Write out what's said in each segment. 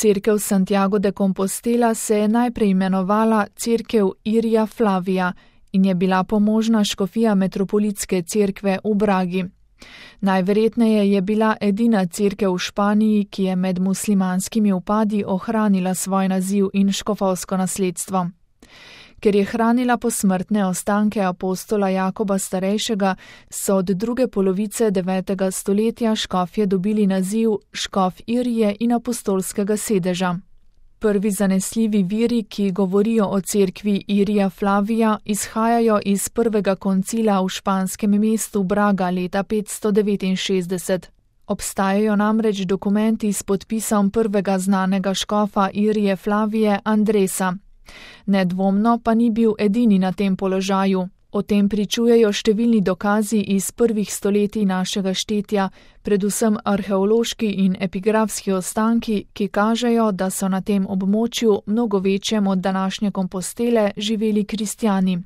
Cerkev Santiago de Compostela se je najprej imenovala Cerkev Irija Flavija in je bila pomožna škofija metropolitske cerkve v Bragi. Najverjetneje je bila edina cerkev v Španiji, ki je med muslimanskimi upadi ohranila svoj naziv in škofovsko nasledstvo. Ker je hranila posmrtne ostanke apostola Jakoba Starejšega, so od druge polovice 9. stoletja škofje dobili naziv škof Irije in apostolskega sedeža. Prvi zanesljivi viri, ki govorijo o cerkvi Irija Flavija, izhajajo iz prvega koncila v španskem mestu Braga leta 569. Obstajajo namreč dokumenti s podpisom prvega znanega škofa Irije Flavije Andresa. Nedvomno pa ni bil edini na tem položaju. O tem pričujejo številni dokazi iz prvih stoletij našega štetja, predvsem arheološki in epigrafski ostanki, ki kažejo, da so na tem območju, mnogo večjem od današnje Kompostele, živeli kristjani.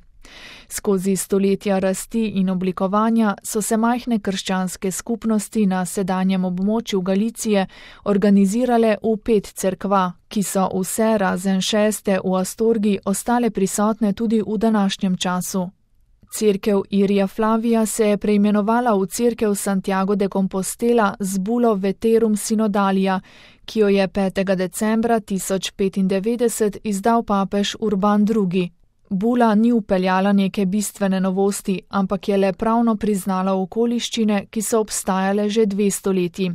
Skozi stoletja rasti in oblikovanja so se majhne krščanske skupnosti na sedanjem območju Galicije organizirale v 5 cerkva, ki so vse razen 6. v Astorgi ostale prisotne tudi v današnjem času. Cerkev Irija Flavija se je preimenovala v Cerkev Santiago de Compostela z bulo Veterum Synodalia, ki jo je 5. decembra 1095 izdal papež Urban II. Bula ni vpeljala neke bistvene novosti, ampak je le pravno priznala okoliščine, ki so obstajale že 2 stoletji.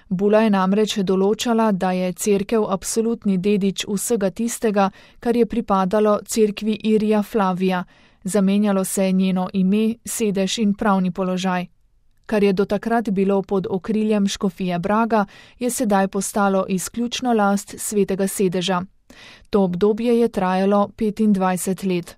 Bula je namreč določala, da je cerkev absolutni dedič vsega tistega, kar je pripadalo cerkvi Irija Flavija. Zamenjalo se je njeno ime, sedež in pravni položaj. Kar je do takrat bilo pod okriljem škofije Braga, je sedaj postalo izključno last svetega sedeža. To obdobje je trajalo 25 let.